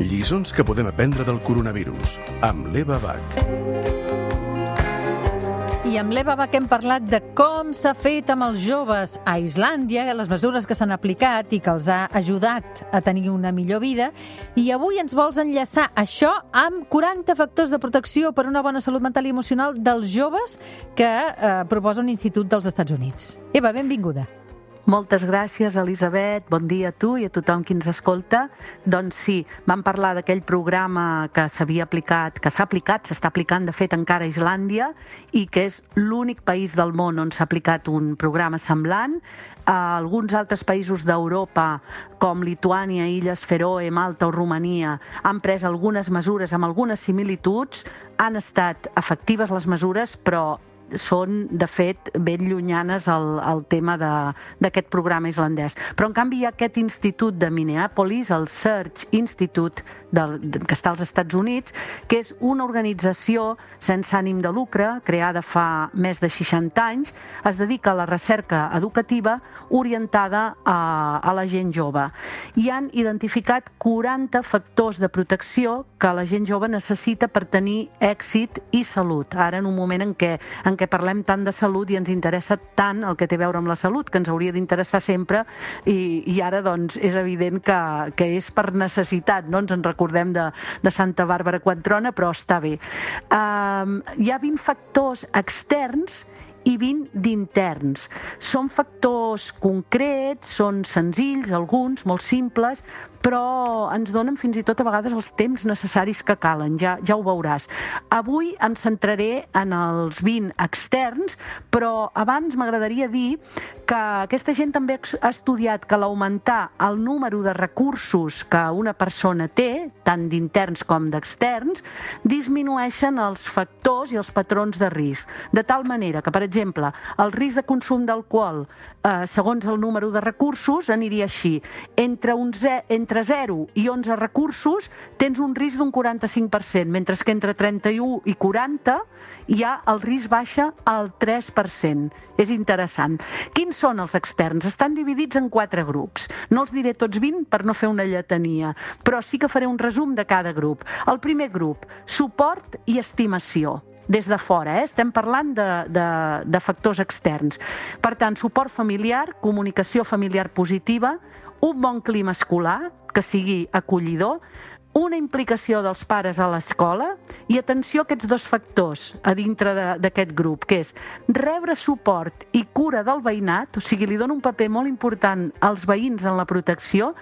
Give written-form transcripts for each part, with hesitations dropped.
Lliçons que podem aprendre del coronavirus, amb l'Eva Bach. I amb l'Eva Bach hem parlat de com s'ha fet amb els joves a Islàndia, les mesures que s'han aplicat i que els ha ajudat a tenir una millor vida. I avui ens vols enllaçar això amb 40 factors de protecció per a una bona salut mental i emocional dels joves que proposa un institut dels Estats Units. Eva, benvinguda. Moltes gràcies, Elisabet. Bon dia a tu i a tothom qui ens escolta. Doncs sí, vam parlar d'aquell programa que s'havia aplicat, que s'ha aplicat, s'està aplicant, de fet, encara a Islàndia, i que és l'únic país del món on s'ha aplicat un programa semblant. Alguns altres països d'Europa, com Lituània, Illes Fèroe, Malta o Romania, han pres algunes mesures amb algunes similituds. Han estat efectives les mesures, però són, de fet, ben llunyanes al tema d'aquest programa islandès. Però, en canvi, hi ha aquest institut de Minneapolis, el Search Institute, que està als Estats Units, que és una organització sense ànim de lucre, creada fa més de 60 anys, es dedica a la recerca educativa orientada a la gent jove. I han identificat 40 factors de protecció que la gent jove necessita per tenir èxit i salut. Ara, en un moment en què parlem tant de salut i ens interessa tant el que té a veure amb la salut, que ens hauria d'interessar sempre, i ara doncs és evident que és per necessitat, no? Ens en recordem de Santa Bàrbara quan trona, però està bé. Hi ha 20 factors externs i 20 d'interns. Són factors concrets, són senzills, alguns, molt simples, però ens donen fins i tot a vegades els temps necessaris que calen, ja ho veuràs. Avui em centraré en els 20 externs, però abans m'agradaria dir que aquesta gent també ha estudiat que l'augmentar el número de recursos que una persona té, tant d'interns com d'externs, disminueixen els factors i els patrons de risc. De tal manera que, per exemple, el risc de consum d'alcohol, segons el número de recursos, aniria així. Entre 0 i 11 recursos tens un risc d'un 45%, mentre que entre 31 i 40 ja el risc baixa al 3%. És interessant. Quins són els externs? Estan dividits en 4 grups. No els diré tots 20 per no fer una lletania, però sí que faré un resum de cada grup. El primer grup, suport i estimació. Des de fora, estem parlant de factors externs. Per tant, suport familiar, comunicació familiar positiva, un bon clima escolar, que sigui acollidor, una implicació dels pares a l'escola i atenció a aquests dos factors a dintre d'aquest grup, que és rebre suport i cura del veïnat, o sigui, li dona un paper molt important als veïns en la protecció,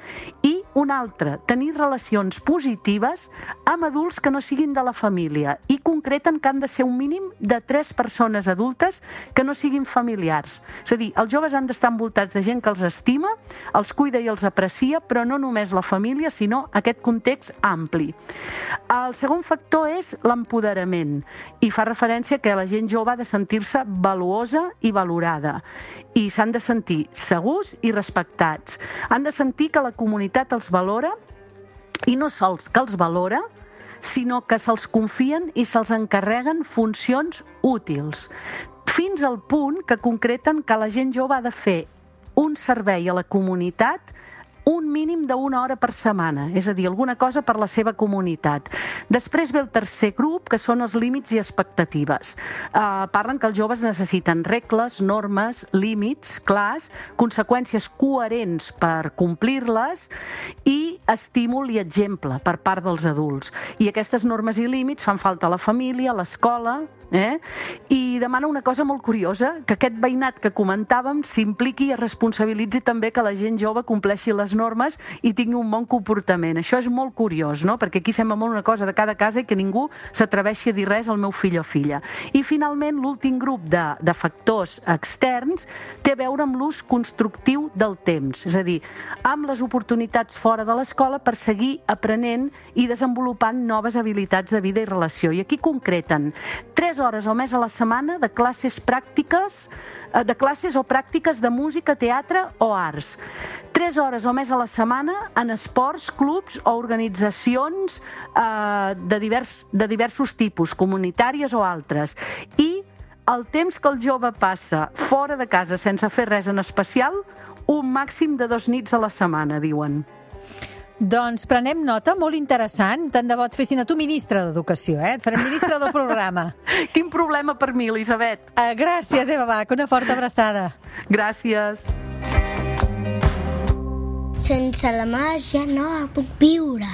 i un altre, tenir relacions positives amb adults que no siguin de la família, i concreten que han de ser un mínim de 3 persones adultes que no siguin familiars. És a dir, els joves han d'estar envoltats de gent que els estima, els cuida i els aprecia, però no només la família, sinó aquest context ampli. El segon factor és l'empoderament, i fa referència que la gent jove ha de sentir-se valuosa i valorada, i s'han de sentir segurs i respectats. Han de sentir que la comunitat els valora, i no sols que els valora, sinó que se'ls confien i se'ls encarreguen funcions útils, fins al punt que concreten que la gent jove ha de fer un servei a la comunitat un mínim d'1 hora per setmana, és a dir, alguna cosa per la seva comunitat. Després ve el tercer grup, que són els límits i expectatives. Parlen que els joves necessiten regles, normes, límits clars, conseqüències coherents per complir-les i estímul i exemple per part dels adults. I aquestes normes i límits fan falta a la família, a l'escola, i demana una cosa molt curiosa, que aquest veïnat que comentàvem s'impliqui i es responsabilitzi també que la gent jove compleixi les normes i tingui un bon comportament. Això és molt curiós, no? Perquè aquí sembla molt una cosa de cada casa i que ningú s'atreveixi a dir res al meu fill o filla. I finalment, l'últim grup de factors externs té a veure amb l'ús constructiu del temps, és a dir, amb les oportunitats fora de l'escola per seguir aprenent i desenvolupant noves habilitats de vida i relació. I aquí concreten 3 hores o més a la setmana de classes o pràctiques de música, teatre o arts. 3 hores o més a la setmana en esports, clubs o organitzacions de diversos tipus, comunitàries o altres. I el temps que el jove passa fora de casa sense fer res en especial, un màxim de 2 nits a la setmana, diuen. Doncs prenem nota, molt interessant. Tant de bo et fessin a tu ministre d'Educació, Et farem ministre del programa. Quin problema per mi, Elisabet. Gràcies, Eva Bach. Una forta abraçada. Gràcies. Sense la mà ja no puc viure.